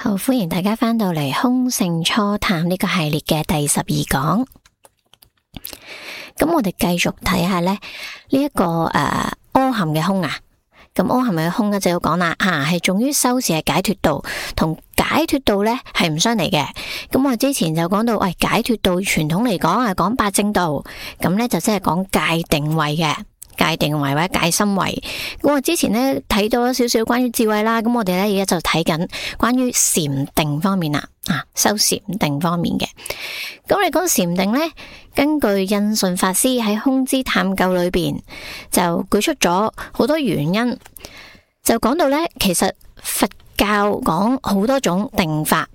好，歡迎大家翻到嚟空性初探呢個系列嘅第12講。咁我哋繼續睇下咧呢一個阿含嘅空啊。咁阿含嘅空咧就要講啦，係重於修持係解脫道，同解脫道咧係唔相離嘅。咁我之前就講到，解脫道傳統嚟講係講八正道，咁咧就即係講戒定慧嘅。戒定慧或者戒心慧，咁我之前咧睇到少少關於智慧啦，咁我哋咧而家就睇緊關於禪定方面啦，修禪定方面嘅。咁你講禪定咧，根據印順法師喺空之探究裏邊就舉出咗好多原因，就講到咧，其實佛教講好多種定法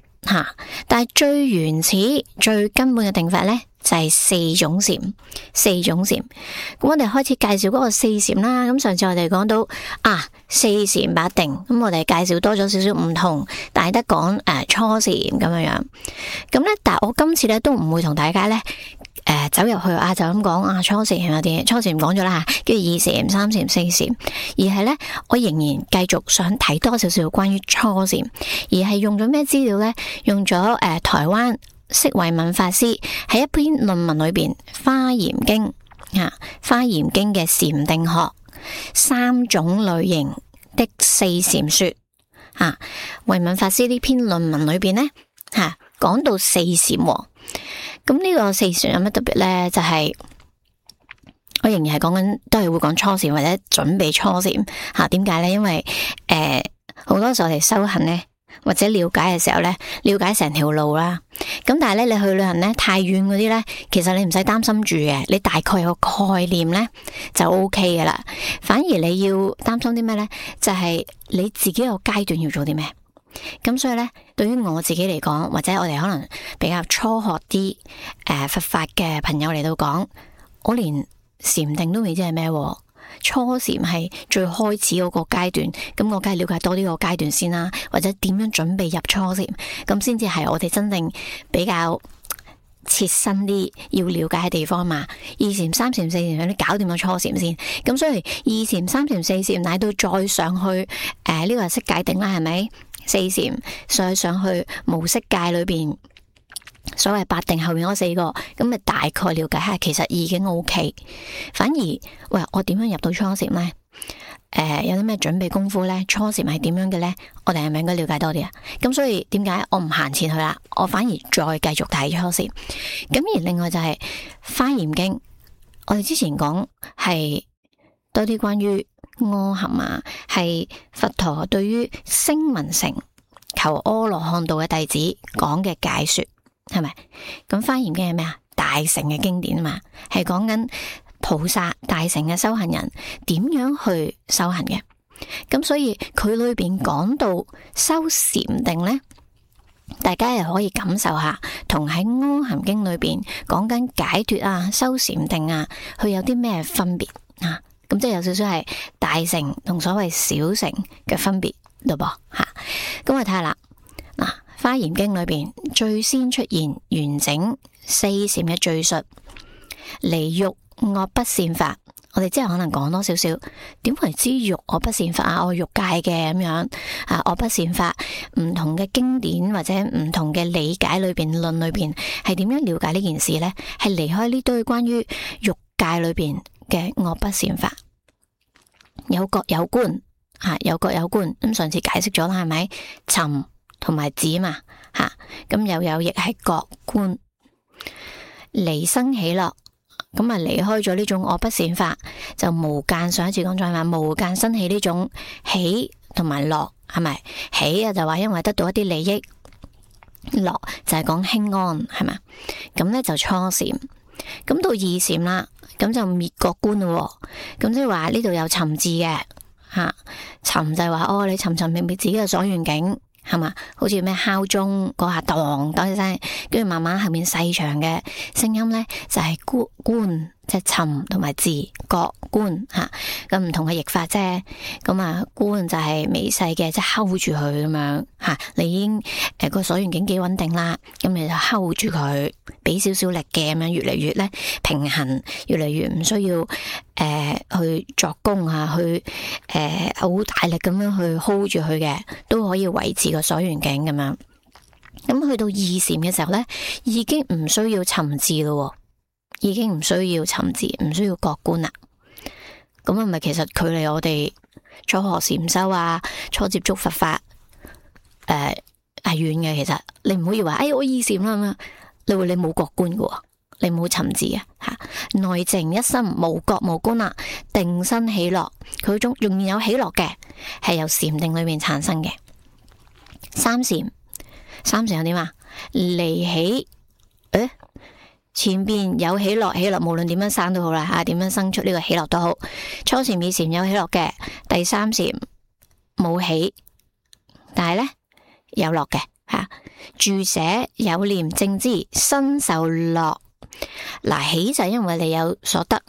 但係最原始、最根本嘅定法咧，就係四種禪。咁我哋開始介紹嗰個四禪啦。咁上次我哋講到四禪八定，咁我哋介紹多咗少少唔同，但係得講初禪咁樣。咁咧，但係我今次咧都唔會同大家咧走入去就咁講初禪有啲初禪講咗啦，跟住二禪、三禪、四禪，而係咧我仍然繼續想睇多少少關於初禪，而係用咗咩資料咧？用咗台灣釋慧敏法師喺一篇論文裏邊《華嚴經》華嚴經嘅禪定學三種類型的四禪說慧敏法師呢篇論文裏邊呢講到四禪咁呢個四禪有乜特別呢？就係我仍然係講緊，都係會講初禪或者準備初禪點解呢？因為好多時候我哋修行呢，或者了解嘅時候呢，了解成條路啦。咁但係咧，你去旅行呢，太遠嗰啲呢，其實你唔使擔心住嘅，你大概有個概念呢，就 OK 嘅啦。反而你要擔心啲咩呢？就係你自己個階段要做啲咩。咁所以咧，對於我自己嚟講，或者我哋可能比較初學啲佛法嘅朋友嚟到講，我連禪定都未知係咩，初禪係最開始嗰個階段，咁我梗係了解多啲個階段先啦，或者點樣準備入初禪，咁先至係我哋真正比較切身啲要了解嘅地方嘛。二禪、三禪、四禪，你搞掂個初禪先，咁所以二禪、三禪、四禪，乃到再上去呢個係色界定啦，係咪？四禪再上去無色界裏邊，所謂八定後面嗰四個，咁咪大概了解下，其實已經 OK。反而我點樣入到初禪呢？有啲咩準備功夫呢？初禪係點樣嘅呢？我哋係咪應該了解多啲啊？咁所以點解我唔行前去啦？我反而再繼續睇初禪。咁而另外就係《華嚴經》，我哋之前講係多啲關於阿含係佛陀對於聲聞乘求阿羅漢道嘅弟子講嘅解說，係咪？咁《華嚴經》係咩啊？大乘嘅經典嘛，係講緊菩薩大乘嘅修行人點樣去修行嘅。咁所以佢裏邊講到修禪定呢，大家又可以感受下，同喺《阿含經》裏邊講緊解脫修禪定佢有啲咩分別咁即係有少少係大乘同所謂小乘嘅分別咯噃咁我睇下啦。《華嚴經》裏邊最先出現完整四禪嘅敘述，離欲惡不善法。我哋之後可能講多少少，點為之欲惡不善法我欲界嘅咁樣惡不善法，唔同嘅經典或者唔同嘅理解裏邊論裏邊係點樣了解呢件事呢？係離開呢堆關於欲界裏邊嘅惡不善法，有覺有觀有覺有觀。咁上次解釋咗啦，係咪？尋同埋止嘛咁又有亦係覺觀，離生喜樂。咁離開咗呢種惡不善法，就無間。上一次講咗係嘛，無間生起呢種喜同埋樂，係咪？喜就話因為得到一啲利益，樂就係講輕安，係嘛？咁咧就初禪。咁到二禪啦，咁就滅覺觀咯。咁即係話呢度有尋字嘅尋就係話你尋尋覓覓自己嘅所願境，係嘛？好似咩敲鐘嗰下當一聲，跟住慢慢後面細長嘅聲音咧，就係觀即係尋同埋自覺觀吓，咁唔同嘅譯法啫。咁啊觀就係微細嘅，即係 hold 住佢咁樣吓。你已經個所緣境幾穩定啦，咁你就 hold 住佢，俾少少力嘅咁樣，越嚟越咧平衡，越嚟越唔需要去作功啊，去好大力咁樣去 hold 住佢嘅，都可以維持個所緣境咁樣。咁去到二禪嘅時候咧，已經唔需要尋字咯。已經唔需要尋字，唔需要覺觀啦。咁係咪其實距離我哋初學禪修啊，初接觸佛法係遠嘅？其實你唔好以為我二禪啦咁樣，你會你冇覺觀嘅，你冇尋字啊吓。內靜一心無覺無觀啦，定生喜樂，佢仲仍然有喜樂嘅，係由禪定裏面產生嘅。三禪有點啊？離喜前邊有喜樂，無論點樣生都好啦吓，點樣生出呢個喜樂都好。初禪、二禪有喜樂嘅，第三禪冇喜，但係咧有樂嘅吓。住捨有念正知，身受樂。嗱，喜就係因為你有所得，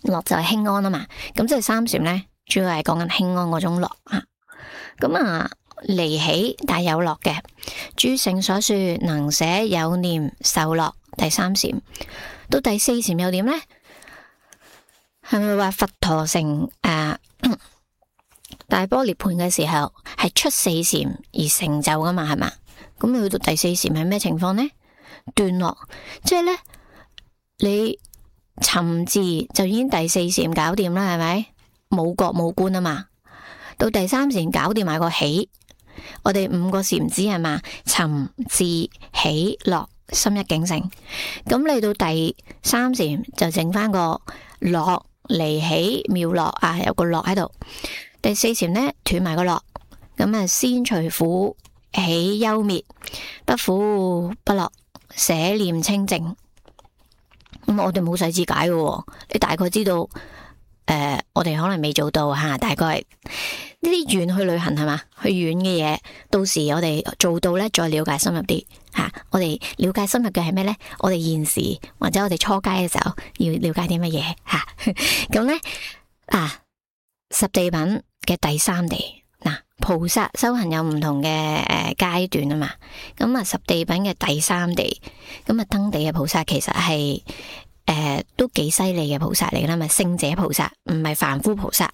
樂就係輕安啊嘛。咁即係三禪咧，主要係講緊輕安嗰種樂吓。咁啊，離喜但係有樂嘅。諸聖所說能捨有念受樂。第三禪到第四禪又點呢？係咪話佛陀成大般涅槃嘅時候係出四禪而成就噶嘛？係嘛？咁去到第四禪係咩情況呢？斷樂，即係呢，你尋字就已經第四禪搞掂啦，係咪？冇覺冇觀啊嘛。到第三禪搞掂埋個喜，我哋五個禪子係嘛？尋字喜樂。心一境性，咁嚟到第三禪就剩翻個樂，離喜妙樂啊，有個樂喺度。第四禪呢，斷埋個樂，咁啊先除苦喜憂滅，不苦不樂，捨念清淨。咁我哋冇細節解嘅，你大概知道我哋可能未做到吓，大概呢啲遠去旅行係嘛，去遠嘅嘢，到時我哋做到呢，再了解深入啲吓。我哋了解深入嘅係咩呢？我哋現時或者我哋初階嘅時候要了解啲乜嘢吓？咁呢，十地品嘅第三地嗱，菩薩修行有唔同嘅階段啊嘛。咁啊，十地品嘅第三地，咁啊登地嘅菩薩其實係都幾犀利嘅菩薩嚟啦，咪聖者菩薩，唔係凡夫菩薩。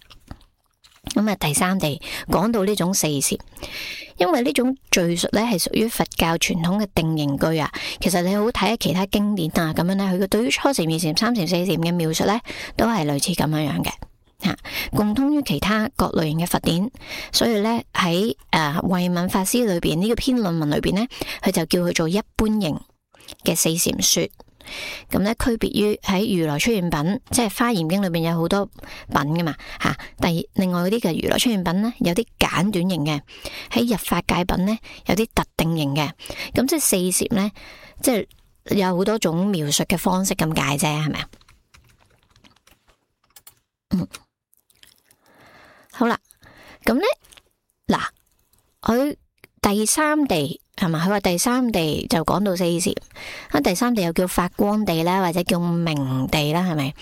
咁啊，第三地講到呢種四禪，因為呢種敘述咧係屬於佛教傳統嘅定型句啊。其實你好睇下其他經典啊，咁樣咧，佢嘅對於初禪、二禪、三禪、四禪嘅描述咧，都係類似咁樣樣嘅吓，共通於其他各類型嘅佛典。所以咧喺慧敏法師裏邊呢個篇論文裏邊咧，佢就叫佢做一般型嘅四禪說。咁咧，區別於喺如來出現品，即係《華嚴經》裏邊有好多品噶嘛吓。另外嗰啲嘅如來出現品咧，有啲簡短型嘅；喺入法界品咧，有啲特定型嘅。咁即係四禪咧，即係有好多種描述嘅方式咁解啫，係咪啊？好啦，咁咧嗱，佢第三地。係嘛？佢話第三地就講到四禪，第三地又叫發光地啦，或者叫明地啦，係咪？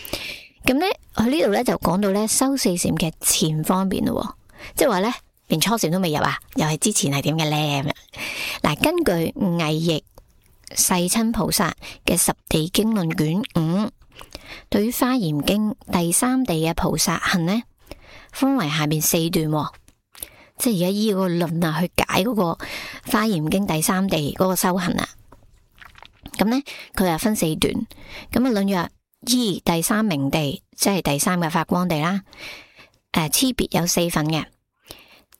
咁咧，佢呢度咧就講到咧修四禪嘅前方面咯，即係話咧連初禪都未入啊，又係之前係點嘅咧？嗱，根據魏譯世親菩薩嘅十地經論卷5，對於華嚴經第三地嘅菩薩行呢，分為下面4段。即係而家依個論啊，去解嗰個《華嚴經》第三地嗰個修行啊。咁呢，佢又分4段。咁啊，論曰依第三明地，即係第三嘅發光地啦。差別有4份嘅。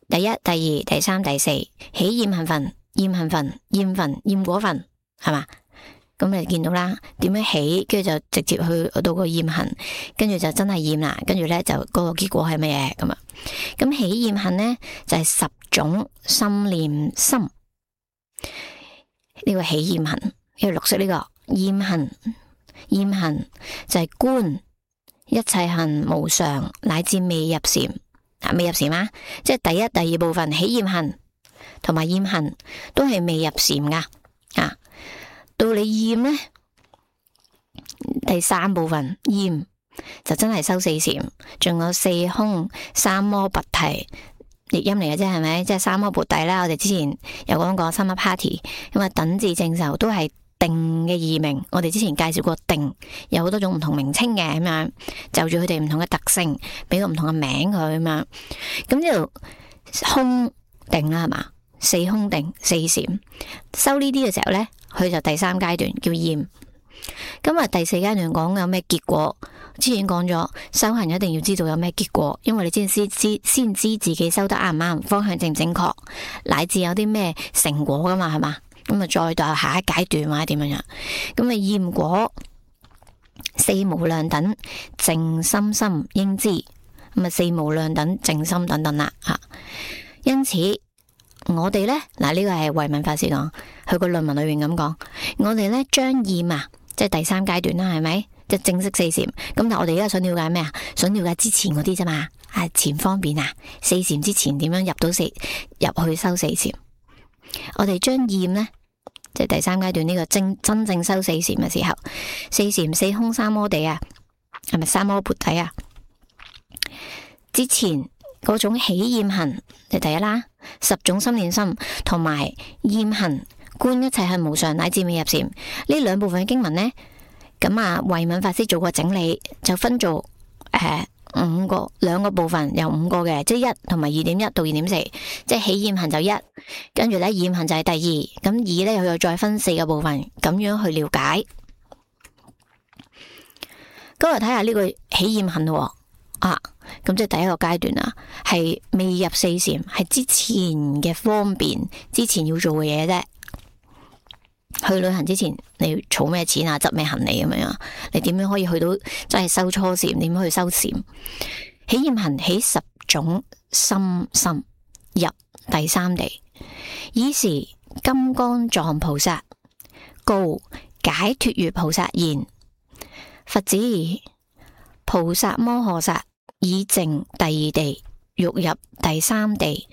第一、第二、第三、第四，喜厭行分、厭行分、厭分、厭果分，係嘛？咁你見到啦，點樣起，跟住就直接去到個厭行，跟住就真係厭啦，跟住咧就嗰個結果係乜嘢咁啊？咁喜厭行咧就係10種心念心，呢個喜厭行，呢個綠色呢個厭行，厭行就係觀一切行無常，乃至未入禪未入禪啊，即係第一、第二部分喜厭行同埋厭行都係未入禪噶啊。到你厭呢，第三部分驗就真係收四禪，仲有四空、三摩拔提，譯音嚟嘅啫，係咪？即係三摩拔提啦。我哋之前有講過三摩帕提，咁啊等至正受都係定嘅異名。我哋之前介紹過定有好多種唔同名稱嘅，咁樣就住佢哋唔同嘅特性，俾個唔同嘅名佢咁樣。咁呢度空定啦，係嘛？四空定四禪，收呢啲嘅時候呢，佢就第三階段叫驗。咁啊第四階段講有咩結果？之前講咗，修行一定要知道有咩結果，因為你先知自己修得啱唔啱，方向正唔正確，乃至有啲咩成果噶嘛，係嘛？咁啊再到下一階段或者點樣樣，咁啊驗果四無量等淨心心應知，咁啊四無量等淨心等等啦吓。因此我哋呢，嗱呢個係慧敏法師講，佢個論文裏面咁講，我哋呢將驗啊，即係第三階段啦，係咪？即係正式四禪。咁但係我哋而家想了解咩啊？想了解之前嗰啲啫嘛，前方便啊，四禪之前點樣入去修四禪？我哋將驗呢，即係第三階段呢個真正修四禪嘅時候，四禪四空三摩地啊，係咪三摩缽底啊？之前嗰種起驗行就第一啦，十種心念心同埋驗行觀一切係無常乃至未入禪呢兩部分嘅經文呢，咁啊慧敏法師做過整理，就分做兩個部分，有5個嘅，即係1同埋2.1到2.4，即係起驗行就1，跟住咧驗行就係第2，咁2咧佢又再分4個部分，咁樣去了解。咁我睇下呢個起驗行咯，咁即係第一個階段啊，係未入四禪，係之前嘅方便，之前要做嘅嘢啫。去旅行之前，你要儲咩錢啊？執咩行李咁樣？你點樣可以去到真係修初禪？點樣去修禪？起驗行起10種心入第三地，以是金剛藏菩薩告解脫月菩薩言：佛子，菩薩摩訶薩已證第2地，欲入第3地，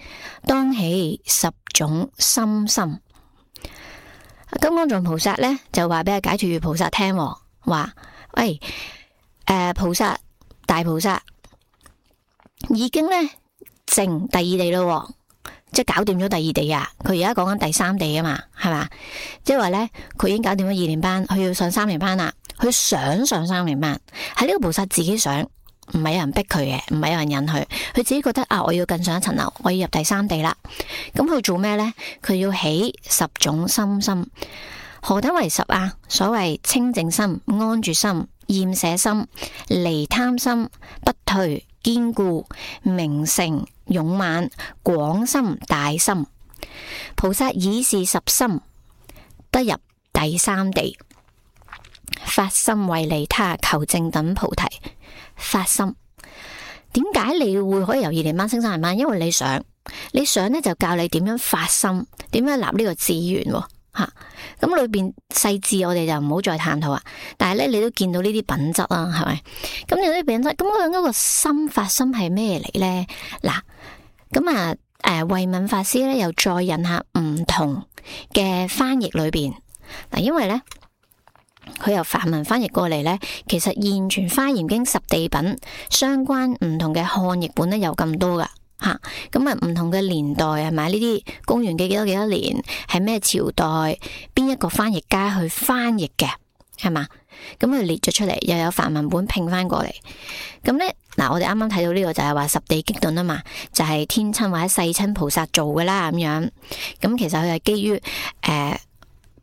當起10種心。金剛藏菩薩咧就話俾阿解脫月菩薩聽，話喂，菩薩大菩薩已經咧證第2地咯，即係搞掂咗第2地啊！佢而家講緊第3地啊嘛，係嘛？即係話咧，佢已經搞掂咗2年班，佢要上3年班啦。佢想上3年班，係呢個菩薩自己想，唔係有人逼佢嘅，唔係有人引佢，佢自己覺得我要更上一層樓，我要入第3地啦。咁佢做咩呢？佢要起10種心。何等為10啊？所謂清淨心、安住心、厭捨心、離貪心、不退、堅固、明誠、勇猛、廣心、大心。菩薩以是10心得入第3地，發心為利他求證等菩提。發心，點解你會可以由2年班升3年班？因為你想呢就教你點樣發心，點樣立呢個志願吓。咁裏邊細緻我哋就唔好再探討啊。但係咧，你都見到呢啲品質啦，係咪？咁呢啲品質，咁嗰個心發心係咩嚟呢？嗱，咁慧敏法師咧又再引下唔同嘅翻譯裏邊嗱，因為咧。佢由梵文翻譯過嚟呢，其實現存華嚴經10地品相關唔同嘅漢譯本呢有咁多噶吓，咁唔同嘅年代係咪呢啲公元嘅幾多年，係咩朝代，邊一個翻譯家去翻譯嘅係嘛？咁佢列咗出嚟，又有梵文本拼翻過嚟。咁呢，嗱，我哋啱啱睇到呢個就係話10地激論啊嘛，就係天親或者世親菩薩做噶啦咁樣。咁其實佢係基於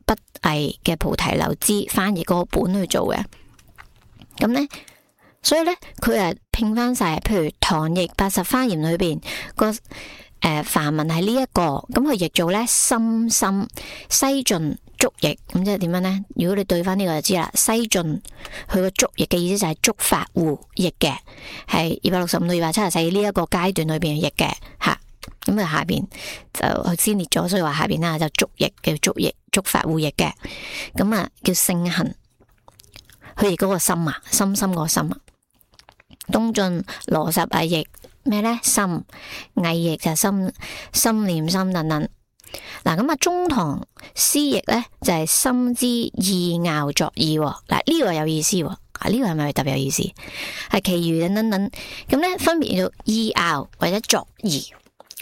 不偽嘅菩提流支翻譯嗰個本去做嘅，咁呢，所以呢，佢係拼翻晒，譬如唐譯80華嚴裏邊個梵文係呢一個，咁佢譯做呢心西晉竹譯，咁即係點樣呢？如果你對翻呢個就知啦，西晉佢個竹譯嘅意思就係竺法護譯嘅，係265到274呢一個階段裏邊譯嘅吓。咁啊，下邊就佢先列咗，所以話下邊啦就竹譯叫竹譯，竺法護譯嘅，咁啊叫聖行，佢譯嗰個心啊，心個心啊。東晉羅什偽譯咩呢？心偽譯就係心念心等等。嗱，咁中堂師譯呢就係心之意拗作意。嗱，呢個有意思，呢個係咪特別有意思？係其餘等等等，咁咧分別叫做意拗或者作意，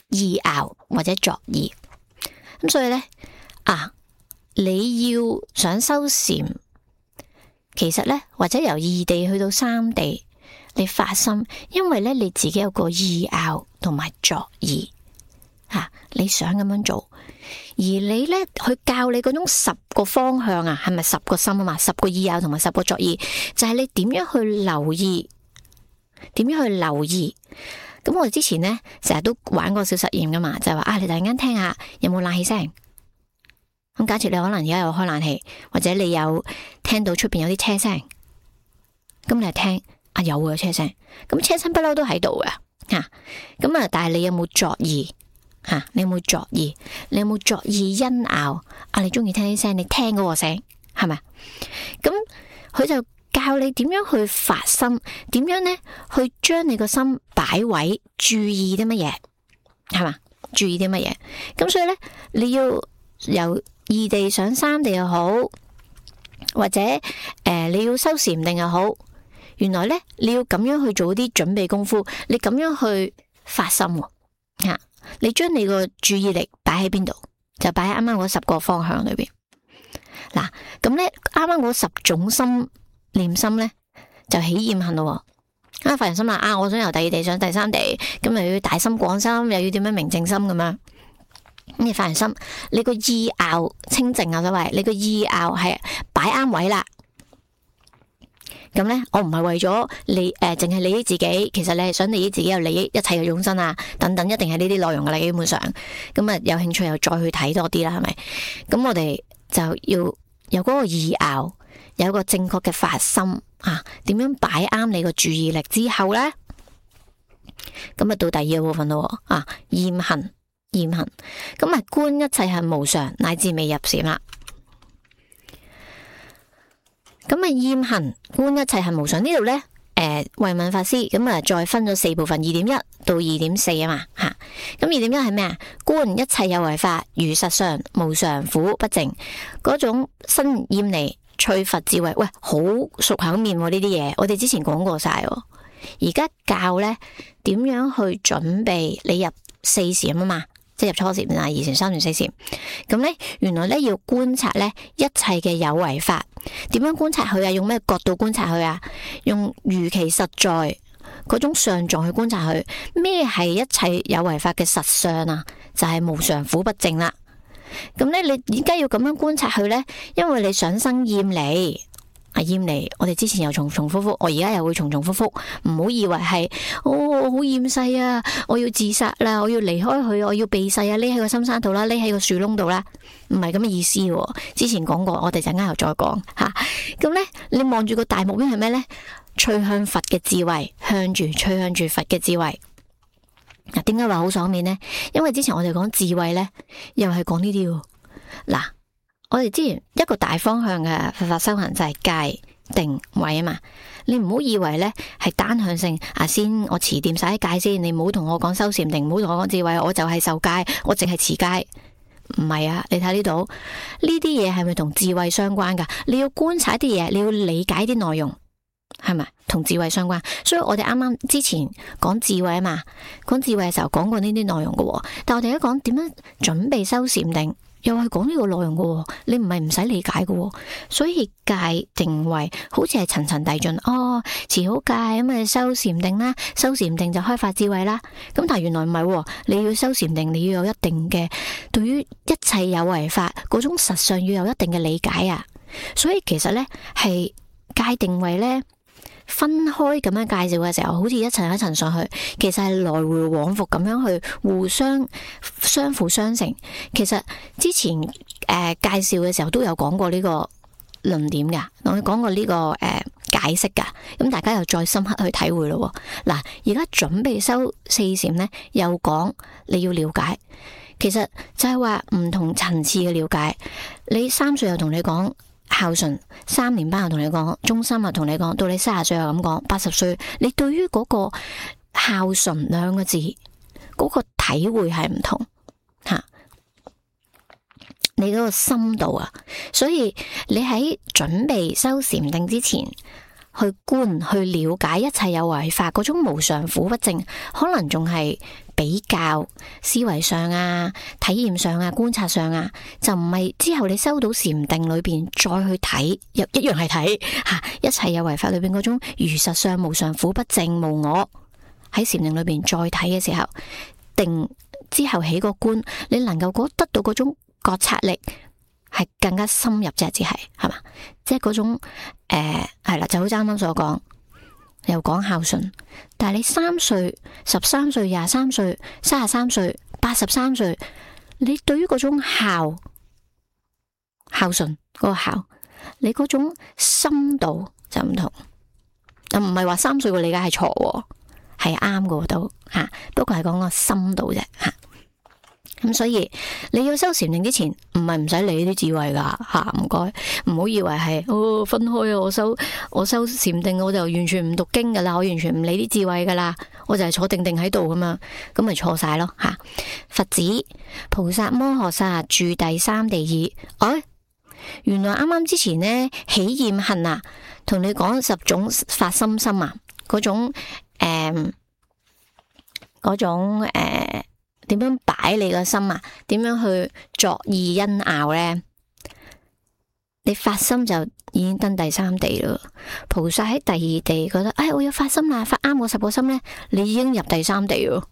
意拗或者作意。咁所以咧你要想修禪，其實咧或者由異地去到三地，你發心，因為咧你自己有個意拗同埋作意你想咁樣做，而你咧去教你嗰種10個方向係咪10個心啊嘛？10個意拗同埋10個作意，就係你點樣去留意，點樣去留意。咁我哋之前咧成日都玩過小實驗噶嘛，就係話你突然間聽下有冇冷氣聲。咁假設你可能而家有開冷氣，或者你有聽到出邊有啲車聲，咁你係聽有車聲，咁車聲不嬲都喺度嘅咁但係你有冇作意？你有冇作意？你有冇作意因拗？你中意聽啲聲，你聽嗰個聲係咪？咁佢就教你點樣去發心，點樣呢去將你個心擺位，注意啲乜嘢係嘛？注意啲乜嘢？咁所以呢，你要由異地上三地又好，或者你要修禪定又好，原來呢，你要咁樣去做啲準備功夫，你咁樣去發心你將你個注意力擺喺邊度？就擺喺啱啱嗰10個方向裏邊。嗱，咁咧啱啱嗰10種心念心咧，就起厭恨咯。發完心啦，我想由第二地上第三地，咁又要大心廣心，又要點樣明淨心咁樣。咁你發完心，你個意拗清淨所謂，你個意拗係擺啱位啦。咁咧，我唔係為咗你淨係利益自己，其實你係想利益自己，又利益一切嘅眾生等等，一定係呢啲內容噶啦。基本上，咁有興趣又再去睇多啲啦，係咪？咁我哋就要有嗰個意拗，有一個正確嘅發心點樣擺啱你個注意力之後咧，咁到第二個部分咯厭恨，咁觀一切係無常，乃至未入禪啦。咁厭恨觀一切係無常呢度呢，慧敏法師咁再分咗4部分，2.1到2.4啊嘛咁2.1係咩啊？觀一切有為法如實相無常苦不淨，嗰種身厭離趣佛智慧，喂，好熟口面呢啲嘢，我哋之前講過晒，而家教呢點樣去準備你入4禪啊嘛，即係入初禪、2禪、3禪、4禪。咁呢，原來呢要觀察呢一切嘅有為法，點樣觀察佢用咩角度觀察佢用如其實在嗰種相狀去觀察佢。咩係一切有為法嘅實相就係無常苦不淨啦。咁呢，你點解要咁樣觀察佢呢？因為你想生厭離。厭離，我哋之前又重重複複，我而家又會重重複複，唔好以為係我好厭世我要自殺啦，我要離開佢，我要避世匿喺個深山度啦，匿喺個樹窿度啦，唔係咁嘅意思。之前講過，我哋陣間又再講咁呢，你望住個大目標係咩呢？趨向佛嘅智慧，趨向住佛嘅智慧。點解話好爽面呢？因為之前我哋講智慧呢，又係講呢啲嗱。我哋之前一個大方向嘅佛法修行就係戒定慧啊嘛，你唔好以為呢係單向性先我持掂晒啲戒先，你唔好同我講修禪定，唔好同我講智慧，我就係受戒，我淨係持戒，唔係你睇呢度呢啲嘢係咪同智慧相關噶？你要觀察啲嘢，你要理解啲內容，係咪同智慧相關？所以我哋啱啱之前講智慧啊嘛，講智慧嘅時候講過呢啲內容噶，但我哋而家講點樣準備修禪定，又係講呢個內容嘅，你唔係唔使理解嘅，所以戒定慧好似係層層遞進。持好戒咁修禪定啦，修禪定就開發智慧啦。咁但係原來唔係，你要修禪定，你要有一定嘅對於一切有為法嗰種實相要有一定嘅理解所以其實呢係戒定慧呢分開咁樣介紹嘅時候，好似一層一層上去，其實係來回往復咁樣去互相相輔相成。其實之前介紹嘅時候都有講過呢個論點噶，我講過呢個解釋噶，咁大家又再深刻去體會咯。嗱，而家準備修4禪呢，又講你要了解，其實就係話唔同層次嘅了解。你3歲又同你講孝順，3年班又同你講，中三又同你講，到你30歲又咁講，80歲你對於嗰個孝順2個字嗰個體會係唔同你嗰個深度所以你喺準備修禪定之前，去觀去了解一切有為法嗰種無常苦不淨，可能仲係比較思維上啊、體驗上啊、觀察上啊，就唔係之後你修到禪定裏邊再去睇，又一樣係睇吓一切有為法裏邊嗰種如實相無常苦不淨無我，喺禪定裏邊再睇嘅時候，定之後起個觀，你能夠得到嗰種覺察力係更加深入啫，只係嘛，即係嗰種係啦，就好似啱啱所講，又講孝順，但係你3歲、13歲、23歲、33歲、83歲，你對於嗰種孝順嗰個孝，你嗰種深度就唔同，唔係話3歲嘅理解係錯，係啱嘅都吓，不過係講個深度啫吓。咁所以你要修禪定之前，唔係唔使理啲智慧噶吓，唔該，唔好以為係分開啊！我修禪定，我就完全唔讀經噶啦，我完全唔理啲智慧噶啦，我就係坐定定喺度咁樣，咁咪錯晒咯吓。佛子菩薩摩訶薩住第三地耳，原來啱啱之前呢，喜厭恨啊，同你講10種發心心啊，嗰種點樣擺你個心啊？點樣去作意因拗呢？你發心就已經登第三地咯。菩薩喺第2地覺得，我要發心啦，發啱我10個心呢，你已經入第三地咯。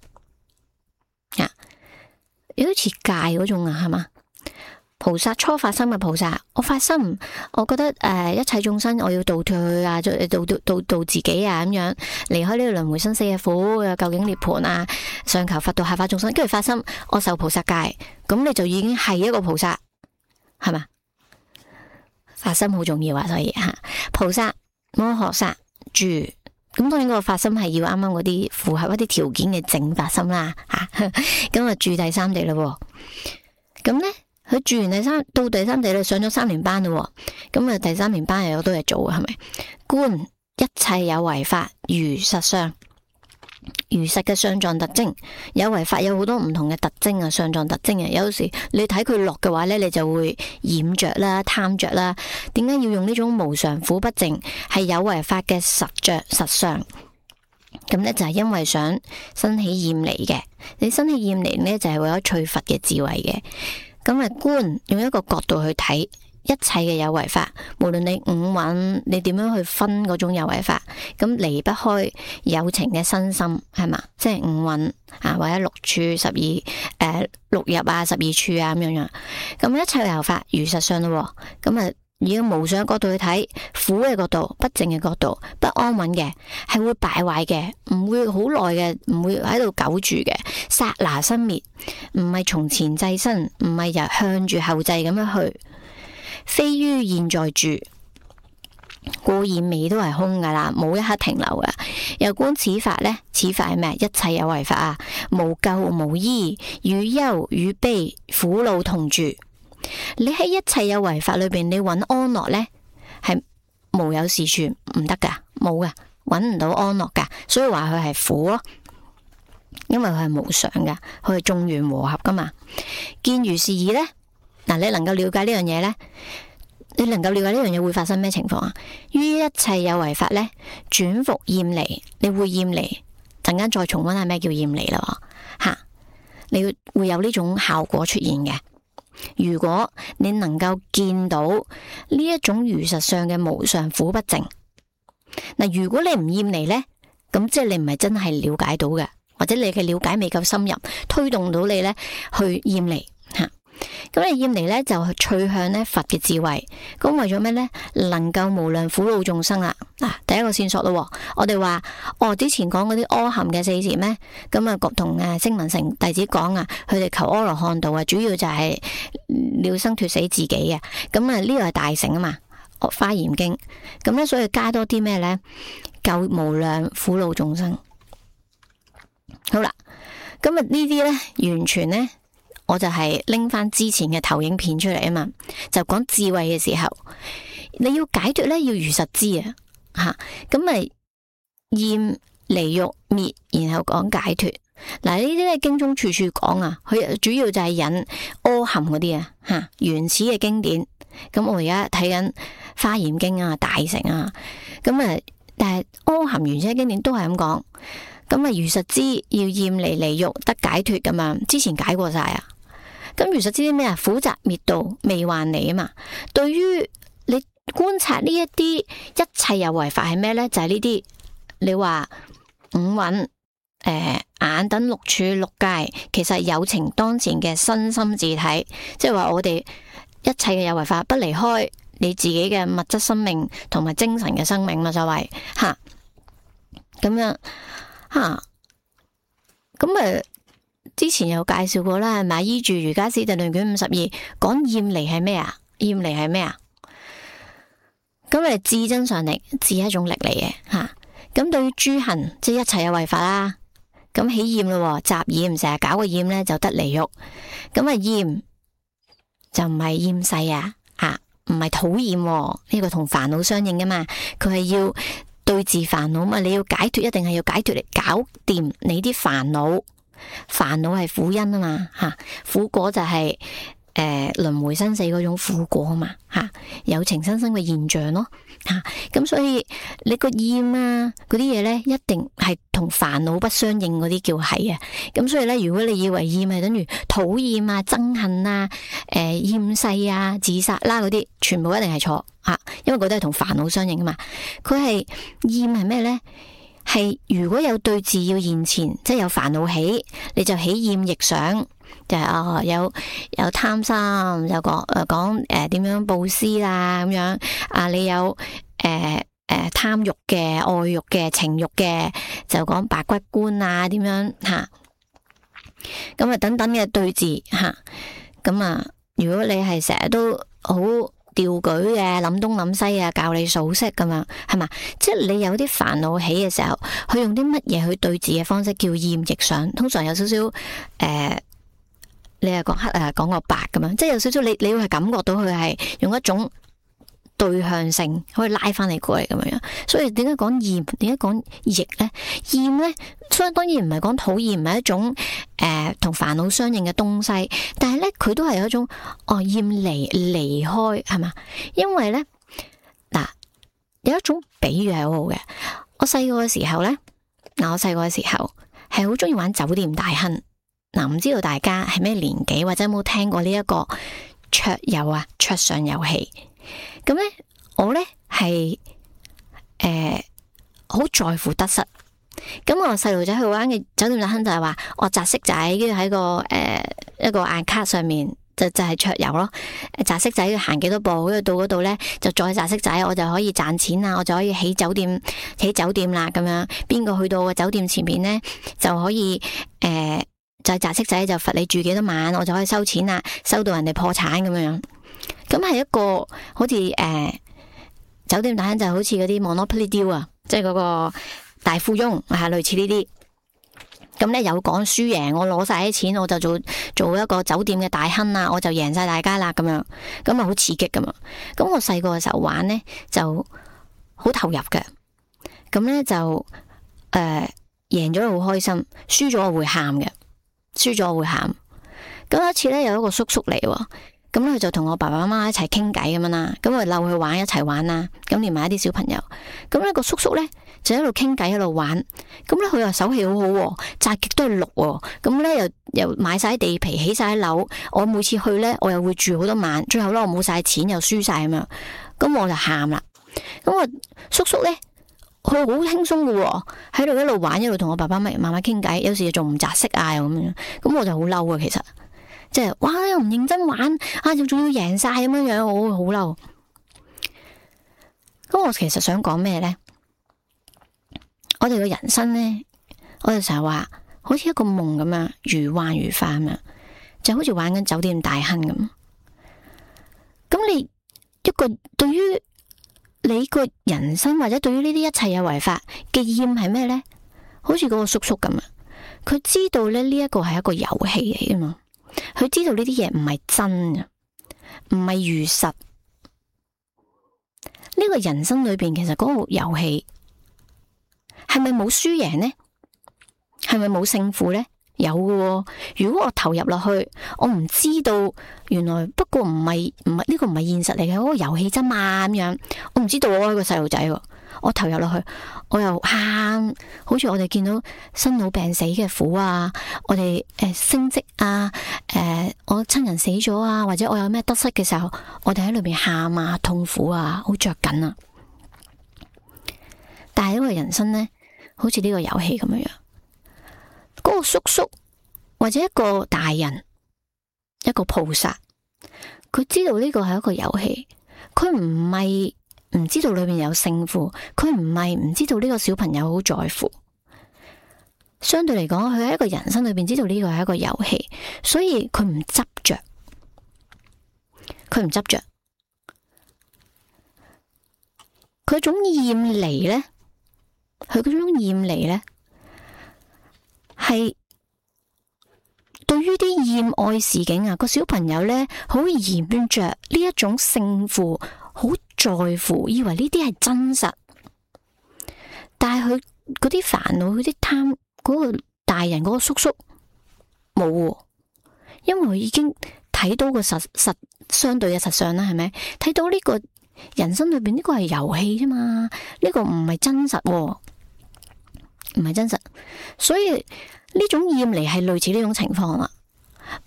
有啲似戒嗰種啊，係嘛？菩薩初發心嘅菩薩，我發心，我覺得一切眾生我要度脫佢啊，度自己啊，咁樣離開呢個輪迴生死嘅苦，究竟涅槃啊，上求佛道下化眾生，跟住發心，我受菩薩戒，咁你就已經係一個菩薩，係嘛？發心好重要啊，所以菩薩摩訶薩住，咁當然嗰個發心係要啱啱嗰啲符合一啲條件嘅正發心啦，咁啊住第三地咯，咁呢。佢住完到第三地咧，上咗3年班咯，咁啊第3年班又有好多嘢做，係咪？觀一切有為法如實相，如實嘅相狀特徵，有為法有好多唔同嘅特徵啊，相狀特徵啊，有時你睇佢落嘅話咧，你就會染着啦、貪着啦。點解要用呢種無常苦不淨係有為法嘅實着實相？咁咧就係因為想生起厭離嘅，你生起厭離咧就係為咗取佛嘅智慧嘅。咁啊觀用一個角度去睇一切嘅有為法，無論你五蘊你點樣去分嗰種有為法，咁離不開有情嘅身心，係嘛？即係五蘊啊，或者6處12六入啊、12處啊咁樣樣。咁一切有為法如實相咯，咁啊以無常嘅角度去睇，苦嘅角度、不淨嘅角度、不安穩嘅，係會敗壞嘅，唔會好耐嘅，唔會喺度久住嘅，剎那生滅，唔係從前際生，唔係由向住後際咁樣去，非於現在住，故現未都係空噶啦，冇一刻停留噶。又觀此法呢？此法係咩？一切有為法啊，無救無依，與憂與悲苦惱同住。你喺一切有為法裏邊，你揾安樂呢，係無有是處，唔得噶，冇噶，揾唔到安樂噶，所以話佢係苦咯，因為佢係無常噶，佢係眾緣和合噶嘛。見如是意呢，嗱，你能夠了解呢樣嘢呢？你能夠了解呢樣嘢會發生咩情況啊？於一切有為法呢，轉復厭離，你會厭離，陣間再重溫下咩叫厭離啦，吓，你會有呢種效果出現嘅。如果你能夠見到呢一種如實相嘅無常苦不淨，嗱，如果你唔厭離呢，咁即係你唔係真係了解到嘅，或者你嘅了解未夠深入，推動到你呢去厭離吓。咁你厭離呢，就趨向呢佛嘅智慧，咁為咗咩呢？能夠無量苦惱眾生啦。嗱，第一個線索咯，我哋話之前講嗰啲阿含嘅4禪咩？咁啊，同聲聞乘弟子講啊，佢哋求阿羅漢道啊，主要就係了生脫死自己啊。咁啊，呢個係大乘啊嘛，華嚴經。咁咧，所以加多啲咩呢？救無量苦惱眾生。好啦，咁啊呢啲呢，完全呢。我就係拎翻之前嘅投影片出嚟啊嘛，就講智慧嘅時候，你要解脫咧，要如實知啊，吓，咁咪厭離欲滅，然後講解脫。嗱，呢啲咧經中處處講啊，佢主要就係引阿含嗰啲啊，吓，原始嘅經典咁我而家睇緊《華嚴經》啊、大乘啊，咁啊，但係阿含原車經典都係咁講，咁啊如實知要厭離離欲得解脫咁樣，之前解過晒啊。咁如實知啲咩啊？苦集滅道未還離啊嘛。對於你觀察呢一啲一切有為法係咩咧？就係呢啲你話五蘊、眼等六處六界，其實有情當前嘅身心自體，即係話我哋一切嘅有為法不離開你自己嘅物質生命同埋精神嘅生命嘛，所謂吓咁樣吓咁之前有介紹過啦，係咪？依住瑜伽師地論卷52講厭離係咩啊？厭離係咩啊？咁智真上力，智係一種力嚟嘅吓。咁對於諸行，即係一切有為法啦。咁起厭咯，雜厭成日搞個厭咧，就得離欲。咁厭就唔係厭世啊，唔係討厭，呢個同煩惱相應噶嘛。佢係要對治煩惱嘛，你要解脫，一定係要解脫嚟搞掂你啲煩惱。煩惱係苦因啊嘛，苦果就係輪迴生死嗰種苦果啊嘛，有情生生嘅現象咯，咁所以你個厭啊嗰啲嘢咧，一定係同煩惱不相應嗰啲叫係啊。咁所以咧，如果你以為厭係等於討厭啊、憎恨啊、厭世啊、自殺啦嗰啲，全部一定係錯吓，因為嗰啲係同煩惱相應啊嘛。佢係厭係咩咧？係如果有對治要現前，即係有煩惱起，你就起厭逆想，就係有貪心，有講點樣布施啦咁樣啊，你有貪欲嘅、愛欲嘅、情欲嘅，就講白骨觀啊點樣吓，咁等等嘅對治吓，咁如果你係成日都好調舉嘅，諗東諗西啊，教你數息咁樣，係嘛？即係你有啲煩惱起嘅時候，佢用啲乜嘢去對治嘅方式叫厭逆想？通常有少少你係講黑講個白咁樣，即係有少少你會係感覺到佢係用一種對向性可以拉翻你過嚟咁樣。所以點解講厭？點解講逆咧？厭咧，當然唔係講討厭，唔係一種同煩惱相應嘅東西，但係咧佢都係有一種厭離開係嘛？因為咧嗱，有一種比喻係好好嘅。我細個嘅時候咧，我細個嘅時候係好中意玩酒店大亨。唔知道大家係咩年紀，或者有冇聽過呢一個桌遊啊、桌上遊戲？咁咧，我咧係好在乎得失。咁我細路仔去玩嘅酒店大亨就係話，我擲骰仔，跟住喺個一個硬卡上面就係桌遊咯。擲骰仔要行幾多步，跟住到嗰度咧就再擲骰仔，我就可以賺錢啦，我就可以起酒店啦咁樣。邊個去到個酒店前面咧就可以就係擲骰仔就罰你住幾多晚，我就可以收錢啦，收到人哋破產咁樣。咁係一個好似酒店大亨就好似嗰啲 Monopoly deal 啊，即係嗰個大富翁係類似呢啲。咁咧有講輸贏，我攞晒啲錢，我就做一個酒店嘅大亨啦，我就贏晒大家啦咁樣。咁啊好刺激噶嘛。咁我細個嘅時候玩咧就好投入嘅。咁咧就贏咗好開心，輸咗我會喊嘅。輸咗我會喊。咁有一次咧，有一個叔叔嚟，咁咧佢就同我爸爸媽媽一齊傾偈咁樣啦。咁我溜去玩一齊玩啦。咁連埋一啲小朋友。咁呢個叔叔咧就喺度傾偈喺度玩。咁咧佢又手氣好好，摘極都係綠。咁咧又買晒地皮，起晒樓。我每次去咧，我又會住好多晚。最後咧我冇晒錢，又輸晒咁樣。咁我就喊啦。咁我叔叔咧。佢好輕鬆嘅，喺度一路玩一路同我爸爸媽媽傾偈，有時仲唔擲色啊咁樣，咁我就好嬲啊！其實即係哇，又唔認真玩啊，又仲要贏晒咁樣樣，我會好嬲。咁我其實想講咩咧？我哋嘅人生咧，我哋成日話好似一個夢咁樣，如幻如化咁樣，就好似玩緊酒店大亨咁。咁你一個對於你個人生或者對於呢啲一切有為法嘅厭係咩呢？好似嗰個叔叔咁啊，佢知道咧呢一個係一個遊戲嚟噶嘛，佢知道呢啲嘢唔係真嘅，唔係如實。呢個人生裏邊其實嗰個遊戲係咪冇輸贏呢？係咪冇勝負呢？有嘅喎。如果我投入落去，我唔知道原來不過唔係呢個唔係現實嚟嘅，嗰個遊戲啫嘛咁樣。我唔知道我係個細路仔喎，我投入落去，我又喊，好似我哋見到生老病死嘅苦啊，我哋升職啊，我親人死咗啊，或者我有咩得失嘅時候，我哋喺裏邊喊啊，痛苦啊，好着緊啊。但係呢個人生呢，好似呢個遊戲咁樣樣，嗰個叔叔或者一個大人，一個菩薩，佢知道呢個係一個遊戲，佢唔係唔知道裏面有勝負，佢唔係唔知道呢個小朋友好在乎。相對嚟講，佢喺一個人生裏邊知道呢個係一個遊戲，所以佢唔執着，佢唔執着，佢種厭離呢，佢嗰種厭離呢，係對於啲厭愛事境啊，個小朋友呢，好嫌着呢一種勝負，好在乎，以為呢啲係真實，但係佢嗰啲煩惱，佢啲貪，嗰個大人嗰個叔叔冇，因為佢已經睇到個實相對嘅實相啦，係咪？睇到呢個人生裏邊呢個係遊戲啫嘛，呢個唔係真實，唔係真實，所以呢種厭離係類似呢種情況啦。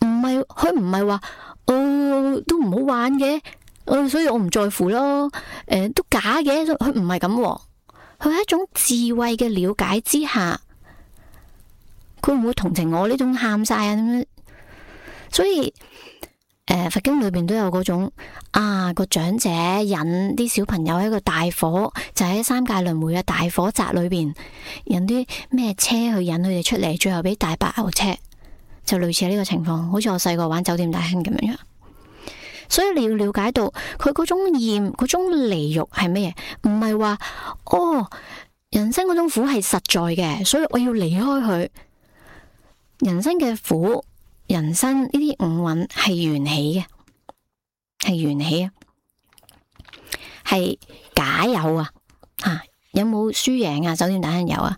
唔係佢唔係話，都唔好玩嘅，所以我唔在乎咯，都假嘅，佢唔係咁，佢係一種智慧嘅了解之下，佢唔會同情我呢種喊晒啊咁樣。所以佛經裏邊都有嗰種個長者引啲小朋友喺個大火，就喺三界輪迴嘅大火宅裏邊，引啲咩車去引佢哋出嚟，最後俾大白牛車，就類似呢個情況，好似我細個玩酒店大亨咁樣。所以你要了解到佢嗰種厭，嗰種離欲係咩嘢？唔係話人生嗰種苦係實在嘅，所以我要離開佢。人生嘅苦，人生呢啲五蘊係緣起嘅，係緣起啊，係假有啊。有冇輸贏啊？酒店大亨有啊？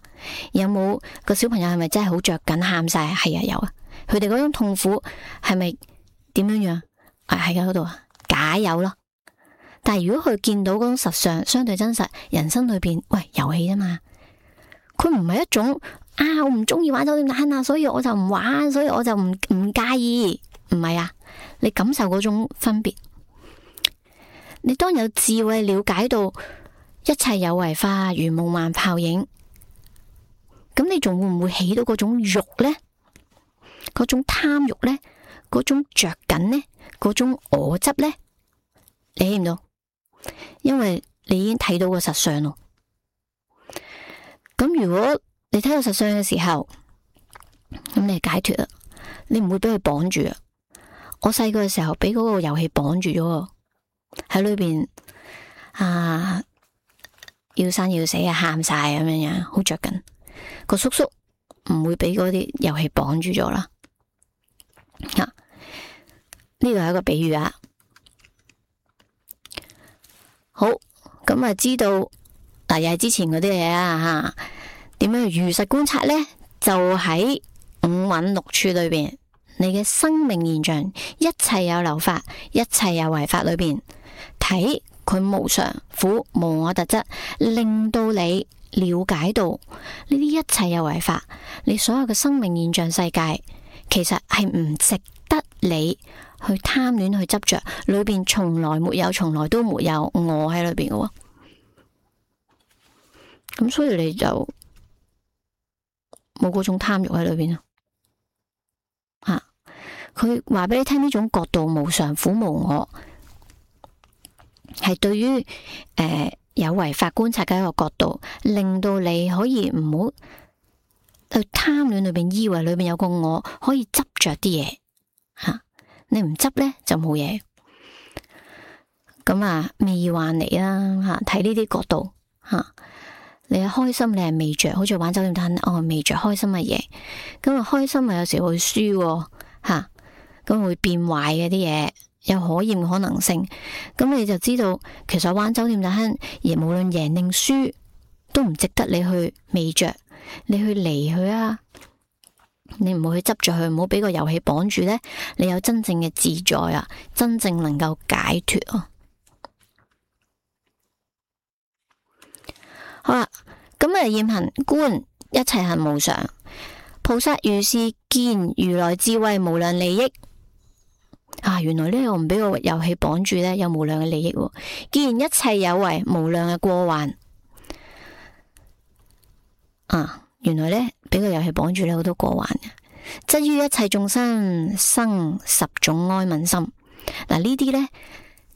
有冇個小朋友係咪真係好着緊喊晒？係啊，有啊。佢哋嗰種痛苦係咪點樣樣？喺嗰度假有咯。但係如果佢見到嗰種實相相對真實，人生裏邊遊戲啫嘛，佢唔係一種我唔中意玩酒店大亨啊，所以我就唔玩，所以我就唔介意。唔係啊，你感受嗰種分別。你當有智慧了解到一切有為法如夢幻泡影，咁你仲會唔會起到嗰種欲呢？嗰種貪欲呢？嗰種着緊呢？嗰種我執呢？你起唔到，因為你已經睇到個實相咯。咁如果你睇到實相嘅時候，咁你解脫啦，你唔會俾佢綁住啊。我細個嘅時候俾嗰個遊戲綁住咗，喺裏邊要生要死啊，喊晒咁樣樣，好着緊。個叔叔唔會俾嗰啲遊戲綁住咗啦。呢個係一個比喻啊。好，咁知道又係之前嗰啲嘢啊吓。點樣如實觀察呢？就喺五蘊六處裏邊，你嘅生命現象，一切有漏法，一切有為法裏邊，睇佢無常、苦、無我特質，令到你了解到呢啲一切有為法，你所有嘅生命現象世界，其實係唔值得你去貪戀去執着，裏邊從來沒有，從來都沒有我喺裏邊嘅。咁所以你就冇嗰種貪欲喺裏邊啊！佢話俾你聽呢種角度無常、苦、無我，係對於有為法觀察嘅一個角度，令到你可以唔好去貪戀裏邊，以為裏邊有個我可以執着啲嘢吓。你唔執呢就冇嘢。咁未幻嚟啦吓，睇呢啲角度吓。你係開心，你係未着，好似玩酒店攤未着開心嘅嘢，咁開心有時會輸吓，咁會變壞嘅啲嘢，有可厭嘅可能性，咁你就知道其實玩酒店攤而無論贏定輸都唔值得你去未着，你去離去啊，你唔好去執着佢，唔好俾個遊戲綁住呢，你有真正嘅自在啊，真正能夠解脫啊。好啦，咁啊，驗行觀一切行無常，菩薩如是見如來智慧無量利益。原來呢個唔俾個遊戲綁住呢，有無量嘅利益。既然一切有為無量嘅過患，原來呢，俾個遊戲綁住呢好多過患嘅，則於一切眾生生十種哀憫心。嗱，呢啲呢，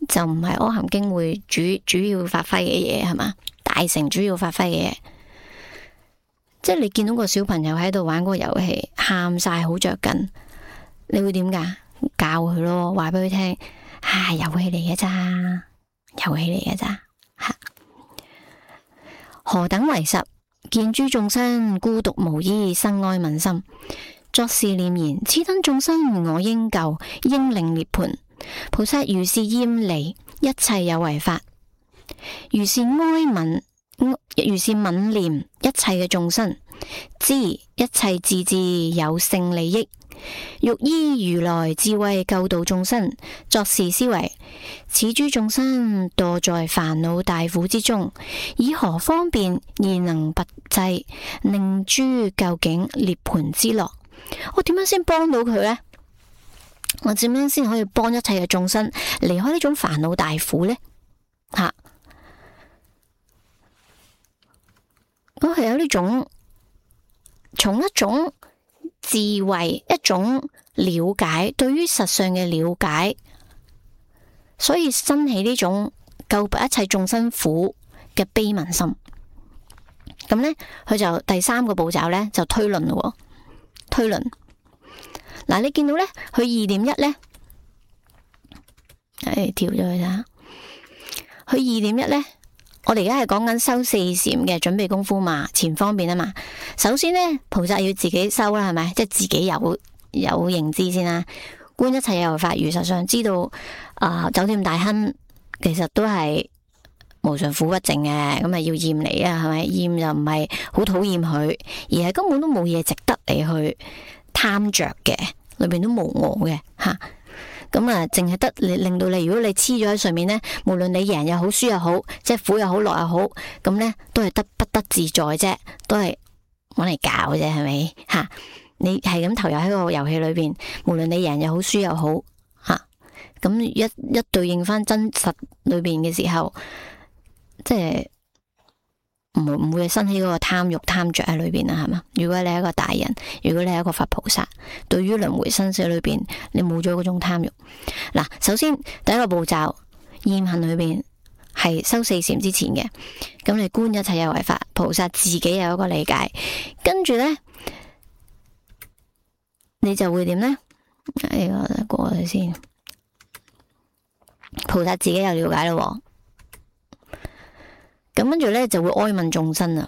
就唔係阿含經會主要發揮嘅嘢，係嘛？大乘主要發揮嘅嘢，即係你見到個小朋友喺度玩嗰個遊戲，喊晒好着緊，你會點噶？教佢咯，話俾佢聽，遊戲嚟嘅咋，遊戲嚟嘅咋。何等為十？見諸眾生孤獨無依，生哀憫心，作是念言：此等眾生我應救，應令涅槃。菩薩如是厭離一切有為法，如是憫念一切嘅眾生，知一切自治有勝利益，欲依如來智慧救度眾生，作是思維：此諸眾生墮在煩惱大苦之中，以何方便而能拔濟，令諸究竟涅槃之樂？我點樣先幫到佢呢？我點樣先可以幫一切嘅眾生離開呢種煩惱大苦呢？我係有呢種從一種智慧、一種了解，對於實相嘅了解，所以生起呢種救拔一切眾生苦嘅悲憫心。咁呢，佢就第三個步驟呢，就推論咯。推論嗱，你見到呢，佢2.1呢，跳咗去啦。佢2.1呢，我哋而家係講緊修四禪嘅準備功夫嘛，前方便啊嘛。首先呢，菩薩要自己修啦，係咪？即係自己有認知先啦。觀一切有為法如實相，知道酒店大亨其實都係無常苦不淨嘅，咁啊要厭離啊，係咪？厭就唔係好討厭佢，而係根本都冇嘢值得你去貪着嘅，裏邊都冇我嘅吓。咁淨係得你令到你，如果你黐咗喺上面呢，無論你贏又好，輸又好，即係苦又好，樂又好，咁呢都係不得自在啫，都係搵嚟搞啫，係咪吓？你係咁投入喺個遊戲裏邊，無論你贏又好，輸又好吓，咁一對應翻真實裏邊嘅時候，即係唔會生起嗰個貪欲貪着喺裏邊啦，係嘛？如果你係一個大人，如果你係一個佛菩薩，對於輪迴生死裏邊，你冇咗嗰種貪欲。嗱，首先第一個步驟，厭行裏邊係修四禪之前嘅，咁你觀一切有為法，菩薩自己有一個理解，跟住呢，你就會點呢？呢個過去先，菩薩自己有了解咯。咁跟住咧就會哀憫眾生啊，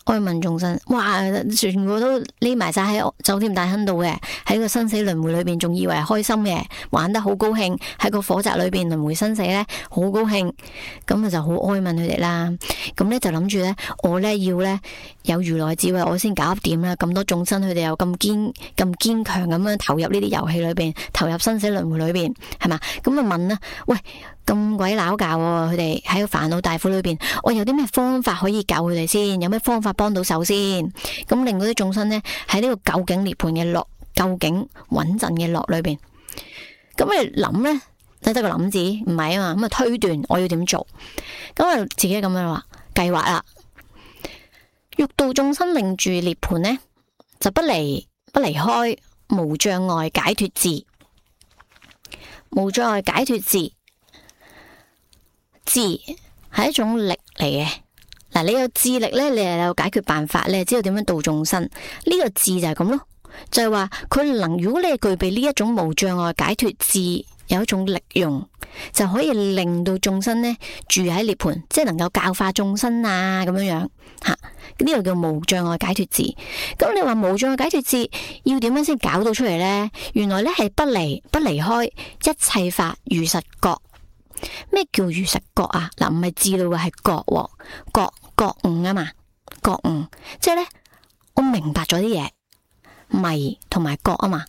哀憫眾生，哇！全部都匿埋晒喺酒店大亨度嘅，喺個生死輪迴裏邊，仲以為開心嘅，玩得好高興，喺個火宅裏邊輪迴生死咧，好高興，咁就好哀憫佢哋啦。咁咧就諗住咧，我咧要咧有如來智慧，我先搞掂啦。咁多眾生，佢哋又咁堅強咁樣投入呢啲遊戲裏邊，投入生死輪迴裏邊，係嘛？咁啊問啦，喂！咁鬼拗教喎，佢哋喺個煩惱大苦裏邊，我有啲咩方法可以救佢哋先？有咩方法幫到手先？咁令嗰啲眾生呢，喺呢個究竟涅槃嘅樂，究竟穩陣嘅樂裏邊，咁你諗呢，得個諗字，唔係啊嘛？咁啊推斷我要點做？咁啊自己咁樣話計劃啦，欲度眾生令住涅槃呢，就不離開無障礙解脫智，無障礙解脫智。智係一種力嚟嘅，嗱，你有智力咧，你又有解決辦法，你又知道點樣度眾生，呢個智就係咁咯，就係話佢能，如果你係具備呢一種無障礙解脫智，有一種力用，就可以令到眾生呢住喺涅槃，即係能夠教化眾生啊，咁樣樣吓，呢個叫無障礙解脫智。咁你話無障礙解脫智要點樣先搞到出嚟呢？原來呢係不離開一切法如實覺。咩叫如實覺啊？嗱，唔係知道嘅，係覺悟啊嘛，覺悟即係咧，我明白咗啲嘢，迷同埋覺啊嘛，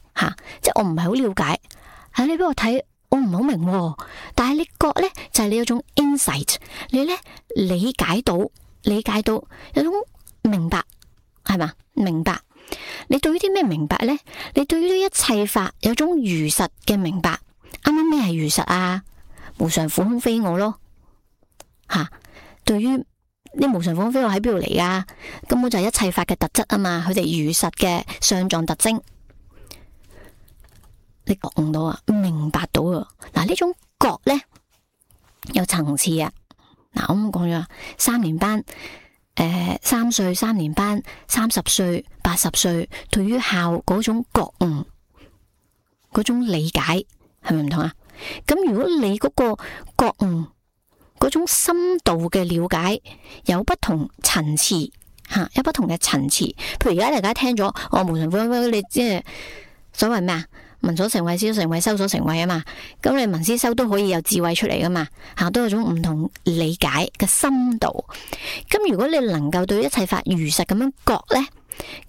即係我唔係好了解，你俾我睇，我唔係好明，但係你覺咧就係你有種 insight， 你咧理解到有種明白，係嘛？明白，你對於啲咩明白咧？你對於呢一切法有種如實嘅明白。啱啱咩係如實啊？無常苦空非我咯，對於呢無常苦空非我喺邊度嚟噶？根本就係一切法嘅特質啊嘛，佢哋如實嘅相狀特徵，你覺悟到啊，明白到啊。嗱，呢種覺咧有層次啊。嗱，我咁講咗3年班，3歲3年班，30歲80歲，對於孝嗰種覺悟，嗰種理解係咪唔同啊？咁如果你嗰個覺悟嗰種深度嘅了解有不同層次，有不同嘅層次。譬如而家大家聽咗我無常苦空非，你即係所謂咩啊？聞所成慧，思所成慧，修所成慧啊嘛。咁你聞思修都可以有智慧出嚟噶嘛，都有種唔同理解嘅深度。咁如果你能夠對一切法如實咁樣覺呢，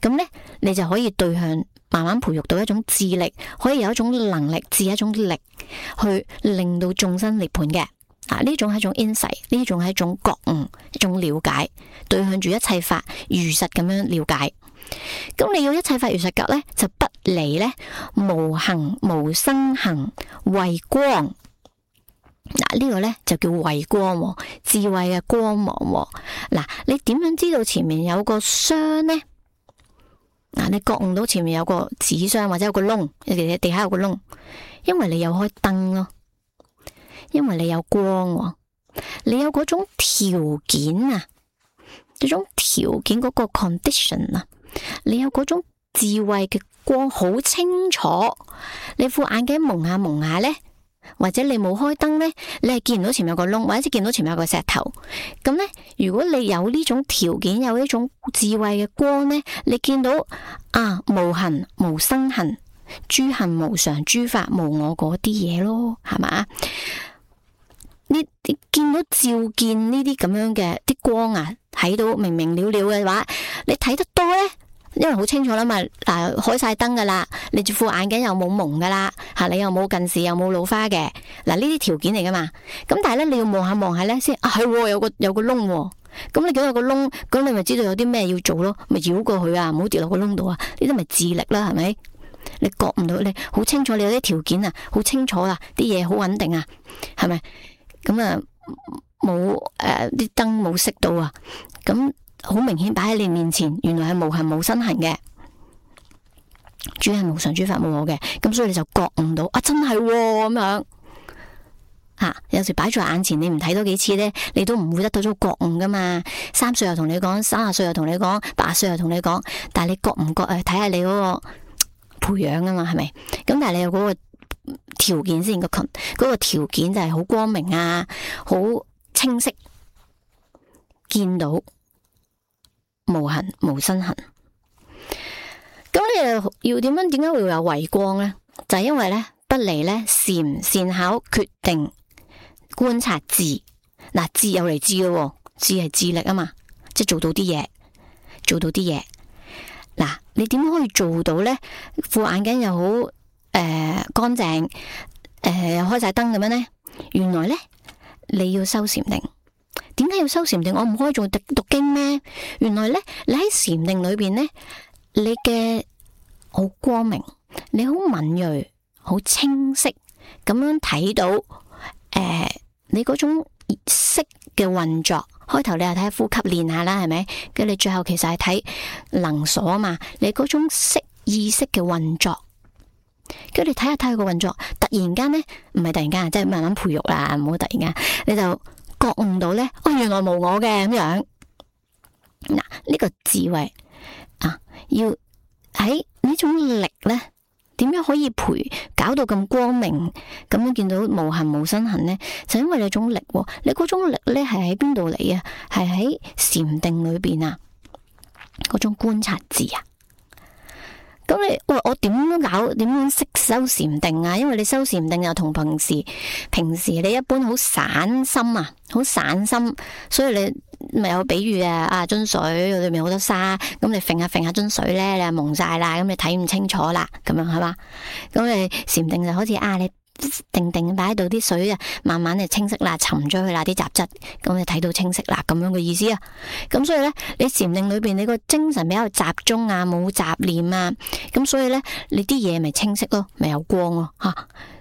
咁呢，你就可以對向慢慢培育到一種智力，可以有一種能力，致一種力去令到眾生涅槃嘅。呢種係一種 insight， 呢種係一種覺悟，一種了解，對向住一切法如實咁樣了解。咁你要一切法如實覺呢，就不離呢無行無生行慧光。呢個呢就叫慧光，智慧嘅光芒。你點樣知道前面有個箱呢？你覺悟到前面有個紙箱或者有個窿，地下有個窿，因為你有開燈咯，因為你有光，你有嗰種條件啊，嗰種條件嗰個 condition 啊，你有嗰種智慧嘅光，好清楚。你副眼鏡蒙下呢，或者你冇開燈呢，你係見唔到前面有個窿，或者見到前面有個石頭。咁呢，如果你有呢種條件，有呢種智慧嘅光呢，你見到無行無生行，諸行無常，諸法無我嗰啲嘢咯，係嘛？你見到照見呢啲咁樣嘅啲光啊，睇到明明了了嘅話，你睇得多呢，因為好清楚啦嘛。開晒燈噶啦，你副眼鏡又冇蒙噶啦，你又冇近視又冇老花嘅，呢啲條件嚟噶嘛。咁但係咧，你要望下咧先，係有個窿。咁你見到有個窿，咁你咪知道有啲咩要做咯，咪繞過去啊，唔好跌落個窿度啊。呢啲咪智力啦，係咪？你覺唔到，你好清楚，你有啲條件啊，好清楚啊，啲嘢好穩定啊，係咪？咁啊，冇啲燈冇熄到啊，咁好明顯擺喺你面前，原來係無行無生行嘅，諸行無常，諸法無我嘅，咁所以你就覺悟到真係咁樣。有時擺在眼前，你唔睇多幾次呢，你都唔會得到咗覺悟噶嘛。3歲又同你講，30歲又同你講，80歲又同你講，但係你覺唔覺睇下你嗰個培養啊嘛，係咪？咁但係你有嗰個條件先，嗰個條件就係好光明啊，好清晰，見到無行無生行。咁你又要點解會有慧光呢？就係因為呢，不離呢禪善巧決定觀察智。智有嚟智咯，智係智力啊嘛，即係做到啲嘢。你點可以做到呢？副眼鏡又好乾淨，又開晒燈咁樣呢？原來呢，你要修禪定。點解要修禪定？我唔可以做讀經咩？原來呢，你喺禪定裏邊呢，你嘅好光明，你好敏銳，好清晰咁樣睇到你嗰種色嘅運作。開頭你又睇呼吸練下啦，係咪？跟住你最後其實係睇能所啊嘛，你嗰種色意識嘅運作，跟住你睇下佢個運作，突然間呢，唔係突然間，即係慢慢培育啦，唔好突然間，你就覺悟到呢，原來無我嘅咁樣。呢個智慧要喺呢種力呢，點樣可以搞到咁光明，咁樣見到無行無生行呢？就因為你種力，你嗰種力呢係喺邊度嚟啊？係喺禪定裏邊啊，嗰種觀察智啊。咁我點樣識修禪定啊？因為你修禪定又同平時你一般好散心啊，好散心，所以你咪有比喻樽水裏面好多沙，咁你揈下揈下樽水咧，你就蒙晒啦，咁你睇唔清楚啦，咁樣係嘛？咁你禪定就好似你定定擺喺度，啲水啊慢慢就清晰啦，沉咗去啦啲雜質，咁你睇到清晰啦，咁樣嘅意思啊。咁所以咧，你禪定裏邊你個精神比較集中啊，冇雜念啊，咁所以咧你啲嘢咪清晰咯，咪有光咯吓。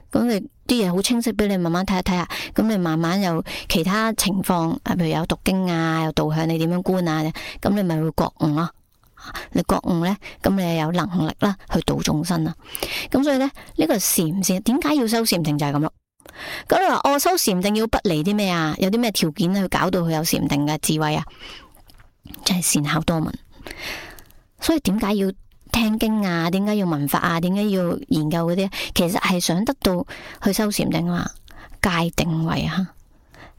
咁你啲嘢好清晰俾你慢慢睇下睇下，咁你慢慢有其他情況，譬如有讀經啊，有導向你點樣觀啊，咁你咪會覺悟咯。你覺悟咧，咁你有能力啦去度眾生啦。咁所以咧，呢個禪點解要修禪定就係咁咯。咁你話我修禪定要不離啲咩啊？有啲咩條件去搞到佢有禪定嘅智慧啊？就係善巧多聞。所以點解要聽經啊？點解要聞法啊？點解要研究嗰啲？其實係想得到去修禪定啊，戒定慧啊，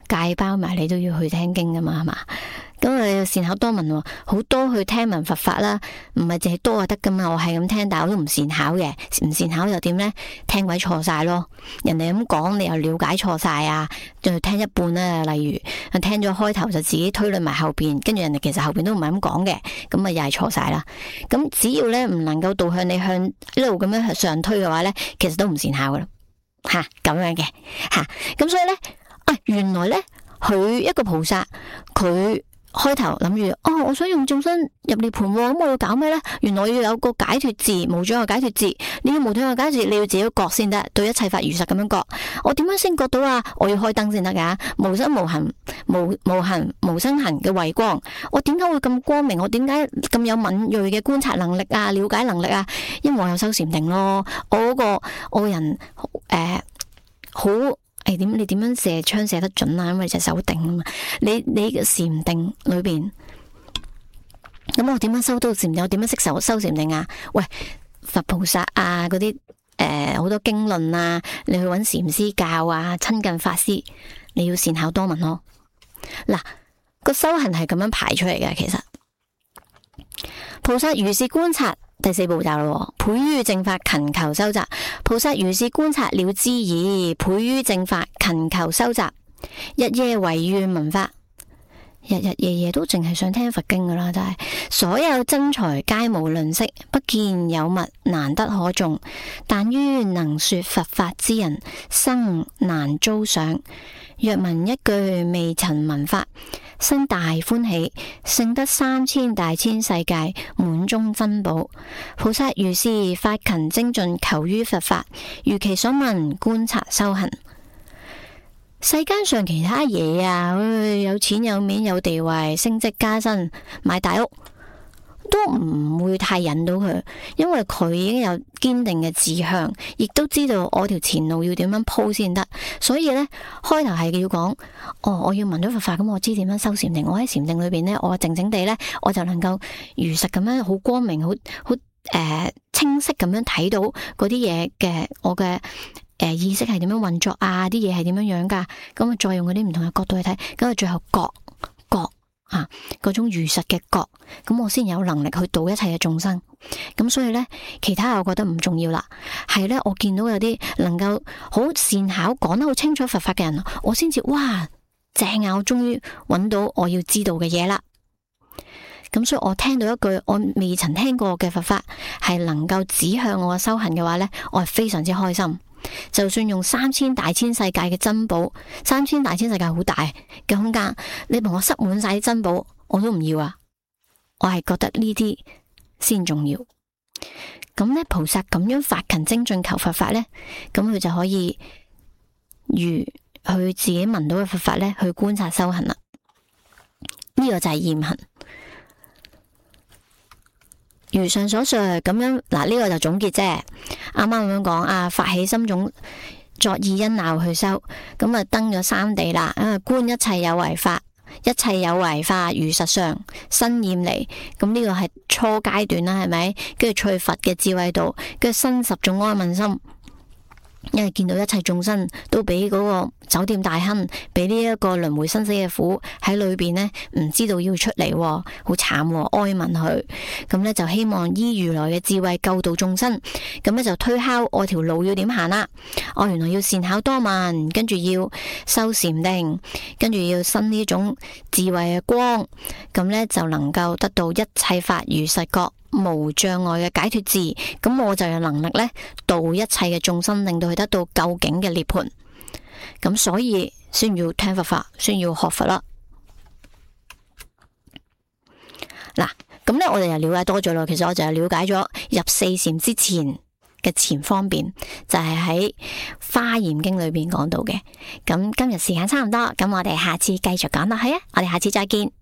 戒包埋你都要去聽經噶嘛，係嘛？咁你善巧多聞，好多去聽聞佛法啦，唔係淨係多就得噶嘛。我係咁聽，但我都唔善巧嘅，唔善巧又點呢？聽鬼錯晒咯，人哋咁講，你又了解錯晒啊，就聽一半啦。例如聽咗開頭就自己推論埋後邊，跟住人哋其實後邊都唔係咁講嘅，咁啊又係錯晒啦。咁只要咧唔能夠導向你向一路咁樣上推嘅話咧，其實都唔善巧噶啦，吓咁樣嘅吓。咁所以咧，原來咧佢一個菩薩佢。開頭諗住我想用眾生入涅槃，咁我要搞咩呢？原來要有個解脫字，無障礙解脫字。你要無障礙解脫字，你要自己覺先得，對一切法如實咁樣覺。我點樣先覺到啊？我要開燈先得噶，無生無行無行無生行嘅慧光。我點解會咁光明？我點解咁有敏銳嘅觀察能力啊？了解能力啊？因為我有修禪定咯。我個人好。你點樣射槍射得準啊？因為隻手定啊嘛。你嘅禪定裏邊，咁我點樣修到禪定？我點樣識修禪定啊？喂，佛菩薩啊，嗰啲好多經論啊，你去揾禪師教啊，親近法師，你要善巧多聞咯。嗱，個修行係咁樣排出嚟嘅，其實菩薩如是觀察。第四步驟咯，倍於正法勤求修習。菩薩如是觀察了知已，倍於正法勤求修習，日夜唯願聞法，日日夜夜都淨係想聽佛經噶啦，真係所有真才皆無吝嗇，不見有物難得可誦，但於能說佛法之人，生難遭賞。若聞一句未曾聞法，生大歡喜，勝得3000大千世界滿中珍寶。菩薩如是發勤精進，求於佛法，如其所聞觀察修行。世間上其他嘢啊，有錢有面有地位，升職加薪，買大屋，都唔會太引到佢，因為佢已經有堅定嘅志向，亦都知道我條前路要點樣鋪先得。所以呢，開頭係要講，我要聞咗佛法，咁我知點樣修禪定。我喺禪定裏邊呢，我靜靜地呢，我就能夠如實咁樣，好光明，好清晰咁樣睇到嗰啲嘢嘅，我嘅意識係點樣運作啊，啲嘢係點樣樣噶，咁啊再用嗰啲唔同嘅角度去睇，咁啊最後覺嗰種如實嘅覺，咁我先有能力去度一切嘅眾生。咁所以呢，其他我覺得唔重要啦。係呢，我見到有啲能夠好善巧講得好清楚佛法嘅人，我先至哇正啊！我終於揾到我要知道嘅嘢啦。咁所以我聽到一句我未曾聽過嘅佛法，係能夠指向我嘅修行嘅話呢，我係非常之開心。就算用3000大千世界嘅珍寶，3000大千世界好大嘅空間，你同我塞滿晒啲珍寶，我都唔要啊！我係覺得呢啲先重要。咁呢，菩薩咁樣發勤精進求佛法呢，咁佢就可以如佢自己聞到嘅佛法呢，去觀察修行啦。呢個就係驗行。如上所述咁樣，嗱，呢個就總結啫。啱啱咁樣講啊，發起心種作意因鬧去修，咁啊登咗三地啦。觀一切有為法，一切有為法如實相，身厭離。咁呢個係初階段啦，係咪？跟住趣佛嘅智慧度，跟住生十種安穩心。因為見到一切眾生都俾嗰個酒店大亨，俾呢一個輪迴生死嘅苦喺裏邊呢，唔知道要出嚟，好慘，哀憫佢。咁呢，就希望依如來嘅智慧救度眾生。咁呢，就推敲我條路要點行啦。我原來要善巧多聞，跟住要修禪定，跟住要生呢種智慧嘅光，咁呢，就能夠得到一切法如實覺，無障礙嘅解脫智。咁我就有能力呢，度一切嘅眾生，令到佢得到究竟嘅涅槃。咁所以先要聽佛法，先要學佛啦。嗱，咁呢，我哋又了解多咗咯。其實我就係了解咗入四禪之前嘅前方便，就係喺《華嚴經》裏邊講到嘅。咁今日時間差唔多，咁我哋下次繼續講落去啊！我哋下次再見。